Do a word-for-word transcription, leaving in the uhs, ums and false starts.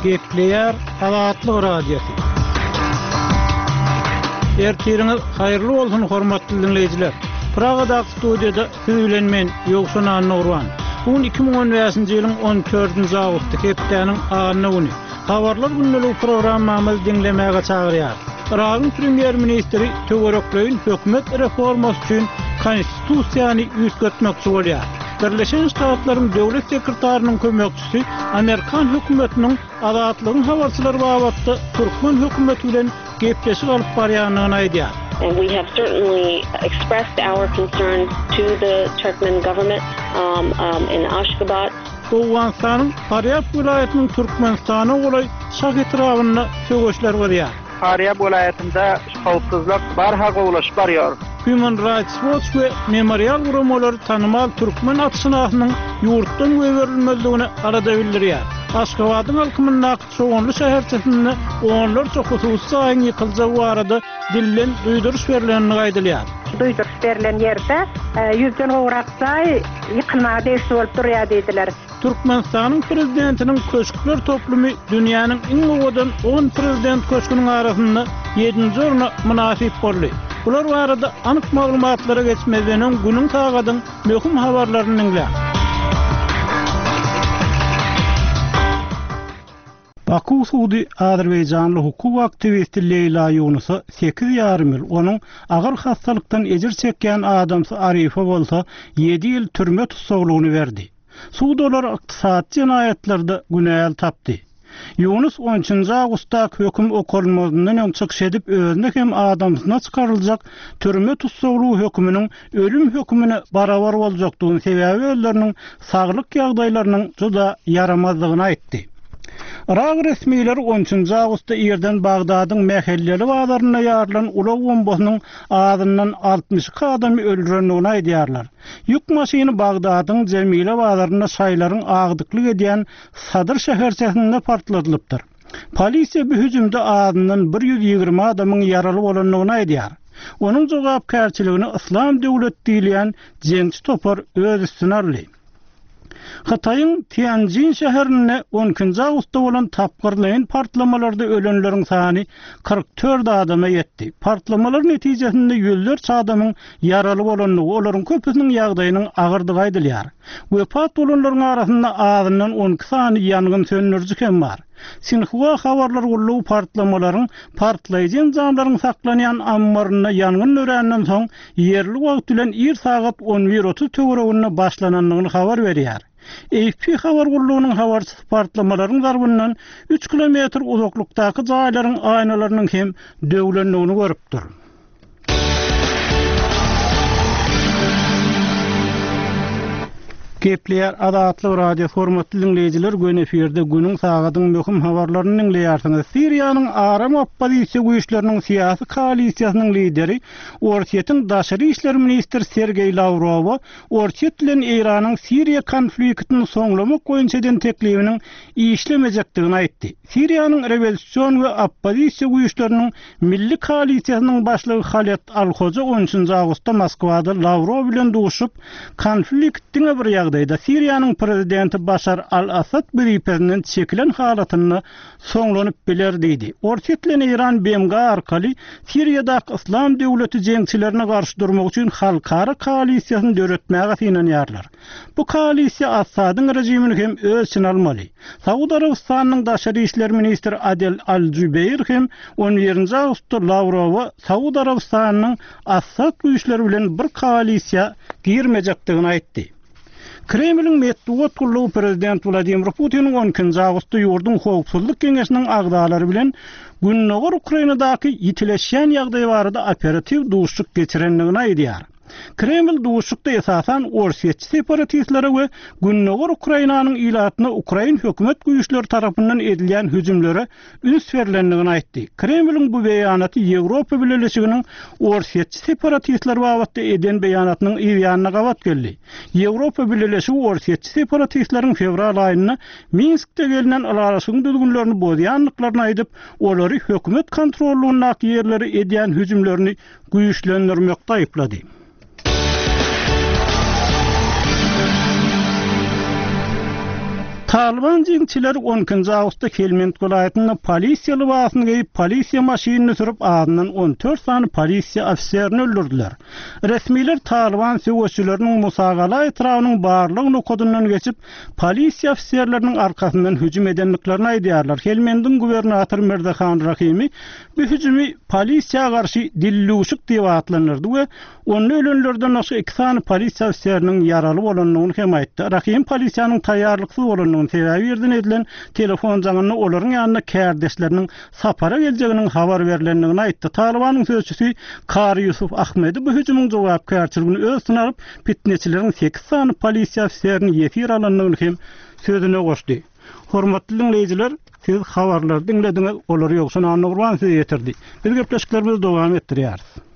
Gepleýär Azatlyk Radiosy. Ertiriňiz haýyrly bolsun hormatly dinleýjiler. Pragadaky studiýada siz bilen men Ýowşan Annagurban. Bu gün iki müň on bäşinji ýylyň on dördünji awgusty hepdäniň anna güni. Habarlar gündeligi programmamyzy diňlemäge çagyrýar. Yragyň premýer-ministri töwerekleýin hökümet reformasy üçin konstitusiýany üýtgetmekçi bolýar. Birleşen Ştatlaryň döwlet sekretarynyň kömekçisi Amerikan hökümetiniň Azatlygyň habarçylary babatda türkmen hökümeti bilen gepleşik alyp barýandygyny aýdýar. And we have certainly expressed our concerns to the Turkmen government, um, um, in Ashgabat. Owganystanyň Farýab welaýatynyň Türkmenistana golaý Şah etrabynda söweşler gyzýar. Farýab welaýatynda howpsuzlyk barha gowulaşyp barýar. Human Rights Watch we Memorial guramalary tanymal türkmen atşynasynyň ýurtdan goýberilmezligine alada bildirýär. Aşgabadyň halkymyndaky Çoganly şäherçesinde onlarça hususy jaýyň ýykyljagy barada dilden duýduryş berlenini aýdylýar. Duýduryş berlen ýerde, e, ýüzden gowrak jaý ýykylmaga degişli bolup durýar diýdiler. Türkmenistanyň prezidentiniň köşkler toplumy dünýäniň iň owadan on prezident köşgüniň arasynda ýedinji orna mynasyp boldy. Bular barada anyk maglumatlara geçmezden öň günüň sagadyň möhüm habarlaryny diňläň. Baku sudy Azerbaýjanly hukuk aktiwisti Leýla Ýunusa sekiz ýarym ýyl, onuň agyr hassalykdan ejir çekýän adamsy Arifa bolsa ýedi ýyl türme tussaglygyny berdi. Sud olar ykdysady jenaýatlarda günäli tapdy. Ýunus on üçünji awgustdaky höküm okalmazyndan öň çykyş edip özüne hem adamsyna çykaryljak türme tussaglygy höküminiň ölüm hökümine barabar boljakdygyny sebäbi özleriniň saglyk ýagdaýlarynyň juda ýaramazdygyny aýtdy. Irak resmileri on üçünji awgustda irden Bagdadyň mähelleli bazarynda ýarylan ulag bombasynyň azyndan altmyş iki adamy öldürendigini aýdýarlar. Ýük maşyny Bagdadyň Jemile bazarynda şaýlaryň agdyklyk edýän Sadyr şäherçesinde partladylypdyr. Polisiýa bu hüjümde azyndan bir ýüz ýigrimi adamyň ýaraly bolandygyny aýdýar. Onuň jogapkärçiligini Islam döwlet diýilýän jeňçi topar öz üstüne aldy. Hytaýyň Tianjin şäherinde on ikinji awgustda bolan tapgyrlaýyn partlamalarda ölenleriň sany kyrk dört adama ýetdi. Partlamalar netijesinde ýüzlerçe adamyň ýaraly bolandygy, olaryň köpüsiniň ýagdaýynyň agyrdygy aýdylýar. Wepat bolanlaryň arasynda azyndan on iki sany ýangyn söndüriji hem bar. Sinhua habarlar gullugy partlamalaryň partlaýjy enjamlaryň saklanýan ammarynda ýangyn döränden soň ýerli wagt bilen ir sagat on bir otuz töwereginde başlanandygyny habar berýär. A F P habar gullugynyň habarçysy partlamalaryň zarbyndan üç kilometr uzaklykdaky jaýlaryň aýnalarynyň hem döwlendigini görüpdir. Gepleýär Azatlyk Radio hormatly dinleýjiler, gün efirde günüň sagadyň möhüm habarlaryny dinleýärsiňiz. Siriýanyň aram oppozisiýa güýçleriniň syýasy koalisiýasynyň lideri Orsýetiň daşary işler ministri Sergeý Lawrowa Orsýet bilen Eýranyň Siriýa konfliktini soňlamak boýunça eden teklibiniň işlemejekdigini aýtdy. Siriýanyň rewolýusion we oppozisiýa güýçleriniň milli koalisiýasynyň başlygy Haled Al-Hoja on üçünji awgustda Moskwada Lawrow bilen duşup, konflikt diňe bir ýagdaýda Siriýanyň prezidenti Başar al-Assad wezipesinden çekilen halatynda soňlanyp biler diýdi. Orsýet bilen Eýran B M G arkaly Siriýadaky Islam döwleti jeňçilerine garşy durmak üçin halkara koalisiýasyny döretmäge synanýarlar. Bu koalisiýa Assadyň rejimini hem öz içine almaly. Saud Arabystanynyň daşary işler ministri Adel Al-Jubeýr hem on birinji awgustda Lawrowa Saud Arabystanynyň Assad güýçleri bilen bir koalisiýa girmejekdigini aýtdy. Kremliň metbugat gullugy prezident Wladimir Putiniň on ikinji awgustda ýurduň howpsuzlyk geňeşiniň agzalary bilen Gündogar Ukrainadaky ýitileşýän ýagdaý barada operatiw duşuşyk geçirendigini aýdýar. Kreml duşuşykda esasan Orsýetçi separatistlere we Gündogar Ukrainanyň ilatyna Ukrain hökümet güýçleri tarapyndan edilýän hüjümlere üns berlendigini aýtdy. Kremliň bu beýanaty Ýewropa Bileleşiginiň Orsýetçi separatistler babatda eden beýanatynyň yz ýanyna gabat geldi. Ýewropa Bileleşigi Orsýetçi separatistleriň fewral aýynda Minskde gelinen ylalaşygyň düzgünlerini bozýandyklaryny aýdyp, olary hökümet kontrollugyndaky ýerlere edýän hüjümlerini güýçlendirmekde aýyplady. Talyban jeňçileri on ikinji awgustda Helmend welaýatynda polisiýa lybasyny geýip, polisiýa maşynyny sürüp, azyndan on dört sany polisiýa ofiserini öldürdiler. Resmiler Talyban söweşçileriniň Musagala etrabynyň barlag nokadyndan geçip, polisiýa ofiserleriniň arkasyndan hüjüm edendiklerini aýdýarlar. Helmendiň gubernatory Mirzahan Rahimi bu hüjümi polisiýa garşy dilluşuk diýip atlandyrdy we onda ölenlerden başga iki sany polisiýa ofiseriniň ýaraly bolandygyny hem aýtdy. Rahim polisiýanyň taýýarlyksyz bolandygyny sebäbi ýerden edilen telefon jaňynda olaryň ýanynda kärdeşleriniň sapara geljeginiň habar berlendigini aýtdy. Talybanyň sözçüsi Kari Ýusuf Ahmedi bu hüjümiň jogapkärçiligini öz üstüne alyp, fitneçileriň sekiz sany polisiýa ofiserini ýesir alandygyny hem sözüne goşdy. Hormatly dinleýjiler, siz habarlary diňlediňiz, olary Ýowşan Annagurban size ýetirdi. Biz gepleşiklerimizi dowam etdirýäris.